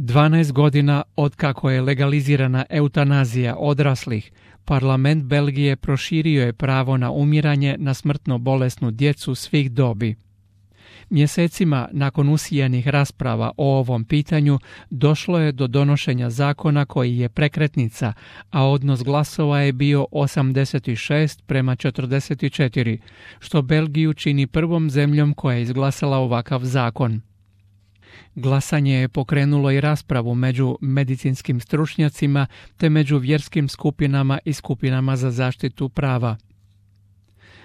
12 godina otkako je legalizirana eutanazija odraslih, parlament Belgije proširio je pravo na umiranje na smrtno bolesnu djecu svih dobi. Mjesecima nakon usijanih rasprava o ovom pitanju došlo je do donošenja zakona koji je prekretnica, a odnos glasova je bio 86:44, što Belgiju čini prvom zemljom koja je izglasala ovakav zakon. Glasanje je pokrenulo i raspravu među medicinskim stručnjacima te među vjerskim skupinama i skupinama za zaštitu prava.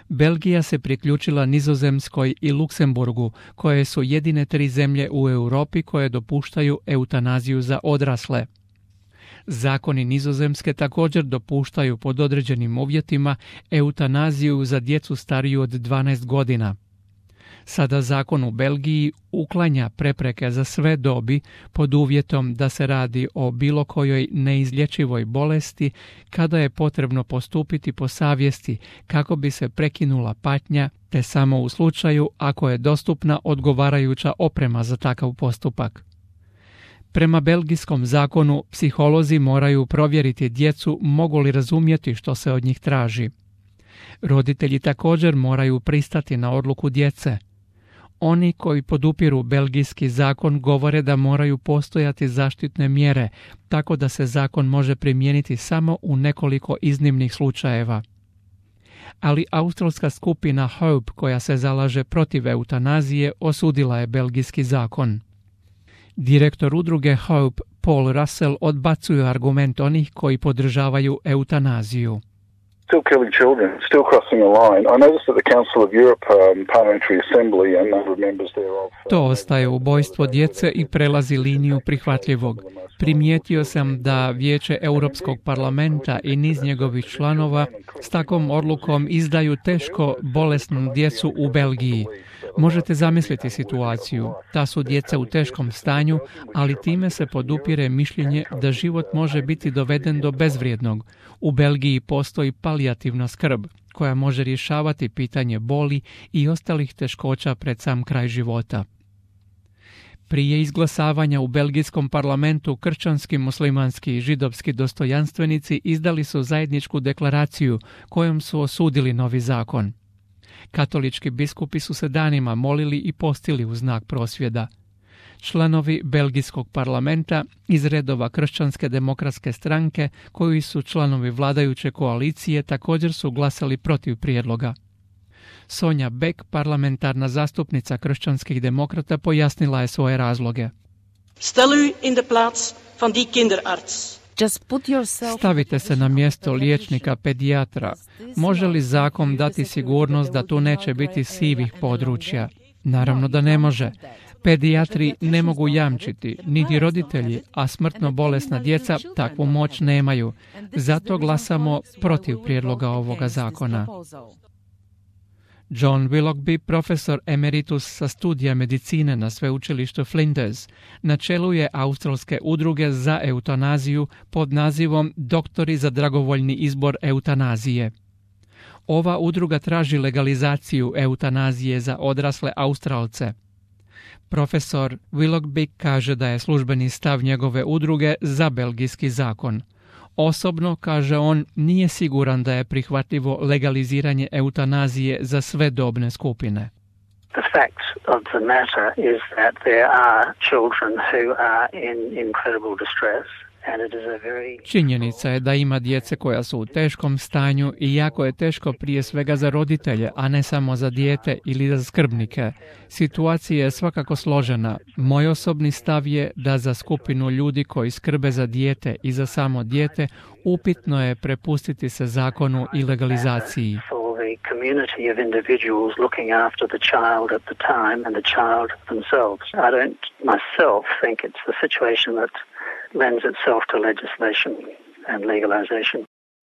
Belgija se priključila Nizozemskoj i Luksemburgu, koje su jedine 3 zemlje u Europi koje dopuštaju eutanaziju za odrasle. Zakoni Nizozemske također dopuštaju pod određenim uvjetima eutanaziju za djecu stariju od 12 godina. Sada zakon u Belgiji uklanja prepreke za sve dobi pod uvjetom da se radi o bilo kojoj neizlječivoj bolesti kada je potrebno postupiti po savjesti kako bi se prekinula patnja, te samo u slučaju ako je dostupna odgovarajuća oprema za takav postupak. Prema belgijskom zakonu psiholozi moraju provjeriti djecu mogu li razumjeti što se od njih traži. Roditelji također moraju pristati na odluku djece. Oni koji podupiru belgijski zakon govore da moraju postojati zaštitne mjere, tako da se zakon može primijeniti samo u nekoliko iznimnih slučajeva. Ali australska skupina Hope, koja se zalaže protiv eutanazije, osudila je belgijski zakon. Direktor udruge Hope, Paul Russell, odbacuje argument onih koji podržavaju eutanaziju. Still killing children, still crossing a line. I noticed that the Council of Europe Parliamentary Assembly and number of members thereof. To ostaje ubojstvo djece i prelazi liniju prihvatljivog. Primijetio sam da Vijeće Europskog parlamenta i niz njegovih članova s takvom odlukom izdaju teško bolesnu djecu u Belgiji. Možete zamisliti situaciju. Ta su djeca u teškom stanju, ali time se podupire mišljenje da život može biti doveden do bezvrijednog. U Belgiji postoji palijativna skrb, koja može rješavati pitanje boli i ostalih teškoća pred sam kraj života. Prije izglasavanja u belgijskom parlamentu kršćanski, muslimanski i židovski dostojanstvenici izdali su zajedničku deklaraciju kojom su osudili novi zakon. Katolički biskupi su se danima molili i postili u znak prosvjeda. Članovi belgijskog parlamenta iz redova Kršćanske demokratske stranke, koji su članovi vladajuće koalicije, također su glasali protiv prijedloga. Sonja Beck, parlamentarna zastupnica kršćanskih demokrata, pojasnila je svoje razloge. Stel u in de plaats van die kinderarts. Stavite se na mjesto liječnika pedijatra. Može li zakon dati sigurnost da tu neće biti sivih područja? Naravno da ne može. Pedijatri ne mogu jamčiti, niti roditelji, a smrtno bolesna djeca takvu moć nemaju. Zato glasamo protiv prijedloga ovoga zakona. John Willoughby, profesor emeritus sa studija medicine na sveučilištu Flinders, na čelu je australske udruge za eutanaziju pod nazivom Doktori za dragovoljni izbor eutanazije. Ova udruga traži legalizaciju eutanazije za odrasle Australce. Profesor Willoughby kaže da je službeni stav njegove udruge za belgijski zakon. Osobno, kaže on, nije siguran da je prihvatljivo legaliziranje eutanazije za sve dobne skupine. The fact of the matter is that there are children who are in incredible distress. Činjenica je da ima djece koja su u teškom stanju i jako je teško prije svega za roditelje, a ne samo za dijete ili za skrbnike. Situacija je svakako složena. Moj osobni stav je da za skupinu ljudi koji skrbe za dijete i za samo dijete upitno je prepustiti se zakonu i legalizaciji. Community of individuals looking after the child at the time and the child themselves. I don't myself think it's the situation that lends itself to legislation and legalization.